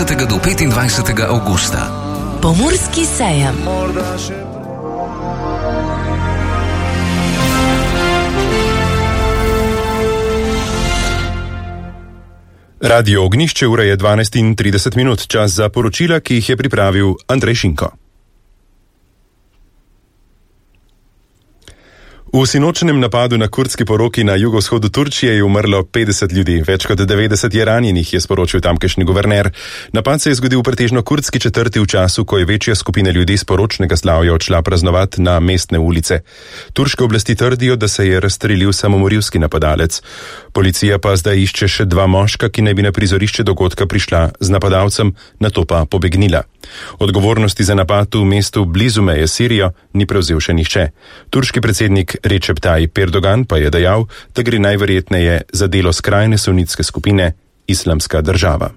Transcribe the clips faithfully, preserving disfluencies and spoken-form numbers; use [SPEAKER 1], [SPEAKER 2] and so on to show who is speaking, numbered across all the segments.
[SPEAKER 1] dvajsetega do petindvajsetega avgusta.
[SPEAKER 2] Pomurski sejem.
[SPEAKER 3] Radio Ognjišče, ura je dvanajst in trideset minut, čas za poročila, ki jih je pripravil Andrej Šinko. V sinočnem napadu na kurdski poroki na jugovzhodu Turčije je umrlo petdeset ljudi, več kot devetdeset je ranjenih, je sporočil tamkajšnji guverner. Napad se je zgodil v pretežno kurdski četrti v času, ko je večja skupina ljudi s poročnega slavja odšla praznovati na mestne ulice. Turške oblasti trdijo, da se je razstrelil samomorilski napadalec. Policija pa zdaj išče še dva moška, ki naj bi na prizorišče dogodka prišla z napadalcem, nato pa pobegnila. Odgovornosti za napad v mestu blizu meje Sirijo ni prevzel še nihče. Turški predsednik Recep Tayyip Erdogan pa je dejal, da gre najverjetneje za delo skrajne sunitske skupine Islamska država.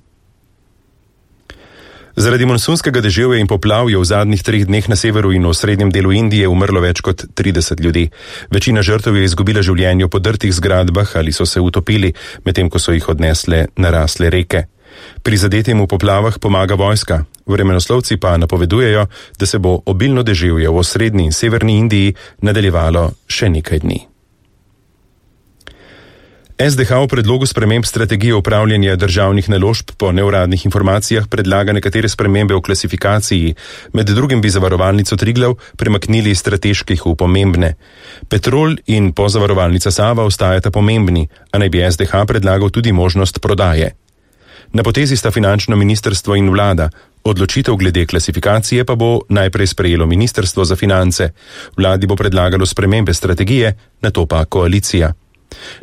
[SPEAKER 3] Zaradi monsunskega deževja in poplav je v zadnjih treh dneh na severu in v srednjem delu Indije umrlo več kot trideset ljudi. Večina žrtev je izgubila življenje v podrtih zgradbah ali so se utopili, medtem ko so jih odnesle narasle reke. Prizadetim v poplavah pomaga vojska. Vremenoslovci pa napovedujejo, da se bo obilno deževje v osrednji in severni Indiji nadaljevalo še nekaj dni. S D H v predlogu sprememb strategije upravljanja državnih naložb po neuradnih informacijah predlaga nekatere spremembe v klasifikaciji. Med drugim bi zavarovalnico Triglav premaknili iz strateških v pomembne. Petrol in pozavarovalnica Sava ostajata pomembni, a naj bi S D H predlagal tudi možnost prodaje. Na potezi sta finančno ministrstvo in vlada. Odločitev glede klasifikacije pa bo najprej sprejelo ministrstvo za finance. Vladi bo predlagalo spremembe strategije, nato pa koalicija.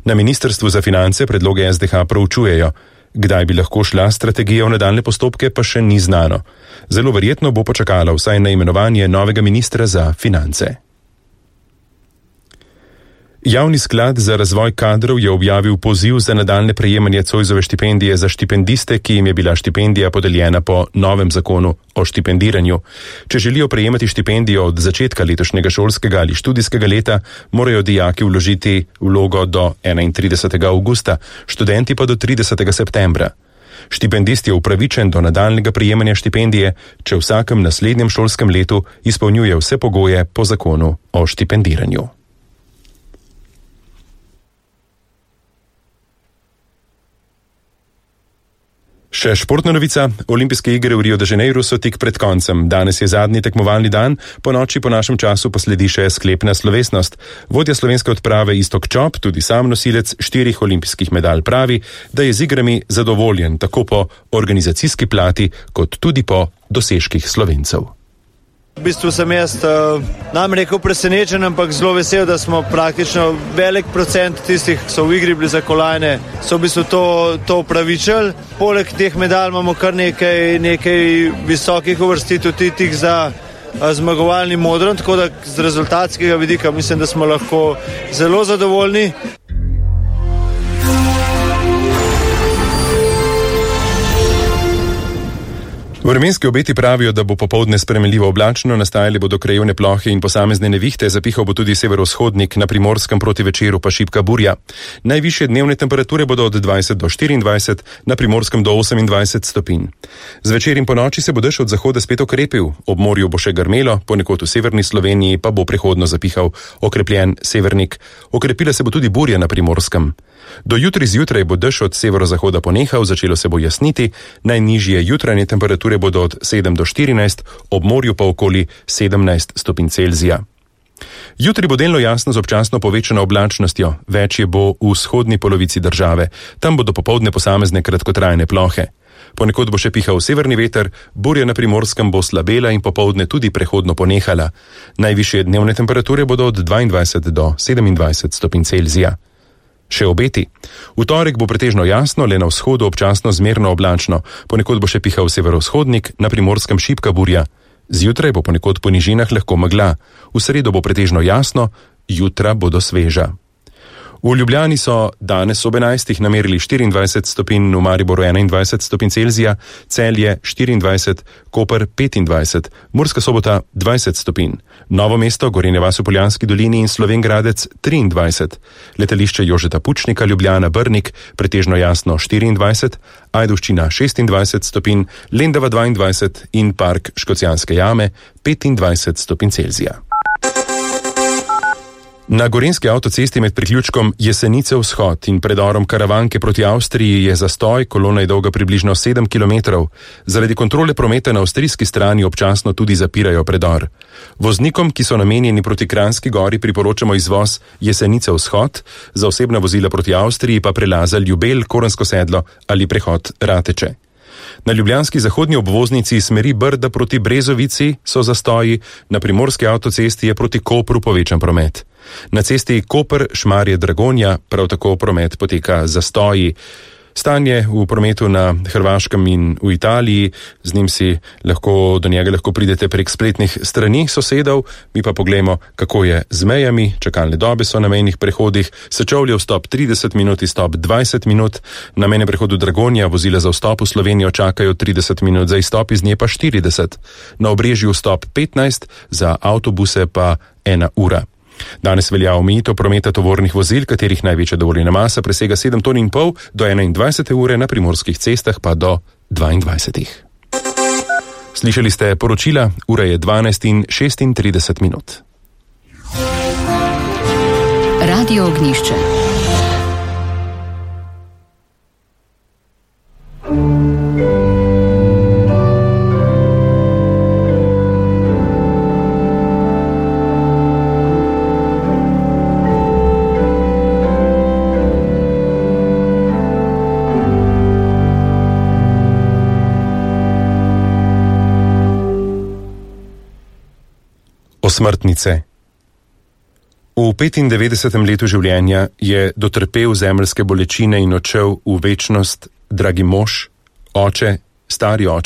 [SPEAKER 3] Na ministrstvu za finance predloge S D H proučujejo. Kdaj bi lahko šla strategija v nadaljne postopke, pa še ni znano. Zelo verjetno bo počakala vsaj na imenovanje novega ministra za finance. Javni sklad za razvoj kadrov je objavil poziv za nadaljne prejemanje Zoisove štipendije za štipendiste, ki jim je bila štipendija podeljena po novem zakonu o štipendiranju. Če želijo prejemati štipendijo od začetka letošnjega šolskega ali študijskega leta, morajo dijaki vložiti vlogo do enaintridesetega avgusta, študenti pa do tridesetega septembra. Štipendist je upravičen do nadaljnega prejemanja štipendije, če v vsakem naslednjem šolskem letu izpolnjuje vse pogoje po zakonu o štipendiranju. Še športna novica. Olimpijske igre v Rio de Janeiro so tik pred koncem. Danes je zadnji tekmovalni dan, po noči po našem času pa sledi še sklepna slovesnost. Vodja slovenske odprave Iztok Čop, tudi sam nosilec štirih olimpijskih medalj, pravi, da je z igrami zadovoljen tako po organizacijski plati, kot tudi po dosežkih Slovencev.
[SPEAKER 4] V bistvu sem jaz, nam rekel, presenečen, ampak zelo vesel, da smo praktično velik procent tistih, ki so v igri bili za kolajne, so v bistvu to, to upravičili. Poleg teh medalj imamo kar nekaj, nekaj visokih uvrstitev tih za zmagovalni modron, tako da z rezultatskega vidika mislim, da smo lahko zelo zadovoljni.
[SPEAKER 3] Vremenski obeti pravijo, da bo popoldne spremenljivo oblačno, nastajale bodo krajevne plohe in posamezne nevihte, zapihal bo tudi severovzhodnik, na Primorskem proti večeru pa šibka burja. Najvišje dnevne temperature bodo od dvajset do štiriindvajset, na Primorskem do osemindvajset stopinj. Zvečer in po noči se bo dež od zahoda spet okrepil, ob morju bo še grmelo, ponekod v severni Sloveniji pa bo prehodno zapihal okrepljen severnik. Okrepila se bo tudi burja na Primorskem. Do jutri zjutraj bo dež od severozahoda ponehal, začelo se bo jasniti, najnižje jutranje temperature bodo od sedem do štirinajst, ob morju pa okoli sedemnajst stopinj Celzija. Jutri bo delno jasno z občasno povečano oblačnostjo, več je bo v vzhodni polovici države, tam bodo popoldne posamezne kratkotrajne plohe. Ponekod bo še pihal severni veter, burja na Primorskem bo slabela in popoldne tudi prehodno ponehala. Najvišje dnevne temperature bodo od dvaindvajset do sedemindvajset stopinj Celzija. Še obeti. V torek bo pretežno jasno, le na vzhodu občasno zmerno oblačno, ponekod bo še pihal severovzhodnik, na Primorskem šibka burja. Zjutraj bo ponekod po nižinah lahko megla, v sredo bo pretežno jasno, jutra bodo sveža. V Ljubljani so danes ob enajstih namerili štiriindvajset stopinj, v Mariboru enaindvajset stopinj Celzija, Celje štiriindvajset, Koper petindvajset, Murska Sobota dvajset stopinj, Novo mesto, Gorenja vas v Poljanski dolini in Slovenj Gradec triindvajset, letališče Jožeta Pučnika, Ljubljana Brnik pretežno jasno štiriindvajset, Ajdovščina šestindvajset stopinj, Lendava dvaindvajset in Park Škocjanske jame petindvajset stopinj Celzija. Na gorenjski avtocesti med priključkom Jesenice vzhod in predorom Karavanke proti Avstriji je zastoj, kolona je dolga približno sedem kilometrov. Zaradi kontrole prometa na avstrijski strani občasno tudi zapirajo predor. Voznikom, ki so namenjeni proti Kranjski gori, priporočamo izvoz Jesenice vzhod, za osebna vozila proti Avstriji pa prelaza Ljubelj, Korensko sedlo ali prehod Rateče. Na ljubljanski zahodni obvoznici smeri Brda proti Brezovici so zastoji, na primorski avtocesti je proti Kopru povečan promet. Na cesti Koper-Šmarje-Dragonja prav tako promet poteka zastoji. Stanje v prometu na Hrvaškem in v Italiji, z njim si lahko, do njega lahko pridete prek spletnih strani sosedov, mi pa poglejmo, kako je z mejami. Čakalne dobe so na mejnih prehodih, Sečovlje vstop trideset minut, izstop dvajset minut, na mejnem prehodu Dragonja vozila za vstop v Slovenijo čakajo trideset minut, za izstop iz nje pa štirideset, na Obrežju vstop petnajst, za avtobuse pa ena ura. Danes velja omejitev prometa tovornih vozil, katerih največja dovoljena masa presega sedem ton in pol, do enaindvajsete ure, na primorskih cestah pa do dvaindvajsetih. Slišali ste poročila, ura je dvanajst in šestintrideset minut.
[SPEAKER 2] Radio Ognjišče.
[SPEAKER 3] Smrtnice. V petindevetdesetem letu življenja je dotrpel zemeljske bolečine in odšel v večnost dragi mož, oče, stari oče